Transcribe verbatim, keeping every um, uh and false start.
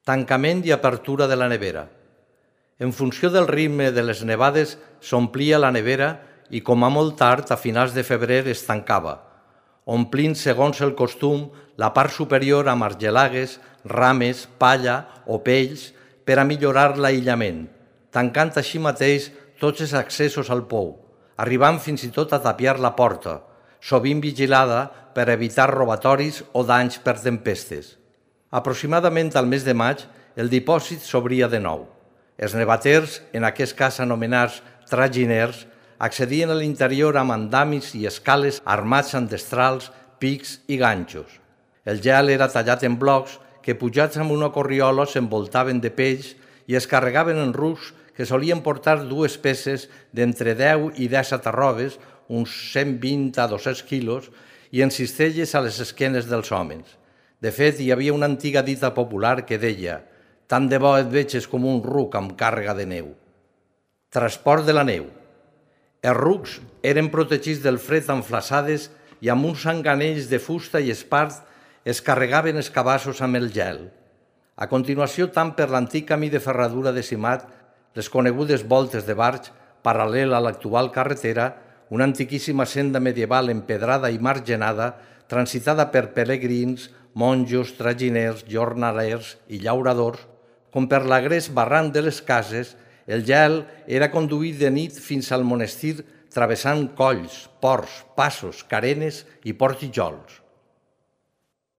Tancament i apertura de la nevera. En funció del ritme de les nevades s'omplia la nevera i com a molt tard, a finals de febrer, es tancava, omplint segons el costum la part superior amb argelagues, rames, palla o pells per a millorar l'aïllament, tancant així mateix tots els accessos al pou, arribant fins i tot a tapiar la porta, sovint vigilada per evitar robatoris o danys per tempestes. Aproximadament al mes de maig, el dipòsit s'obria de nou. Els nevaters, en aquest cas anomenats traginers, accedien a l'interior amb andamis i escales armats amb destrals, pics i ganxos. El gel era tallat en blocs que, pujats amb una corriola, s'envoltaven de peix i es carregaven en rucs que solien portar dues peces d'entre deu i disset arrobes, uns cent vint a dos-cents quilos, i en cistelles a les esquenes dels homes. De fet, hi havia una antiga dita popular que deia «Tant de bo et veges com un ruc amb càrrega de neu». Transport de la neu. Els rucs eren protegits del fred amb flaçades i amb uns enganells de fusta i espart es carregaven els cabassos amb el gel. A continuació, tant per l'antic camí de ferradura de Simat, les conegudes voltes de barx, paral·lel a l'actual carretera, una antiquíssima senda medieval empedrada i margenada, transitada per pelegrins, monjos, traginers, jornalers i llauradors, com per l'agrés barranc de les cases, el gel era conduït de nit fins al monestir travessant colls, ports, passos, carenes i portijols.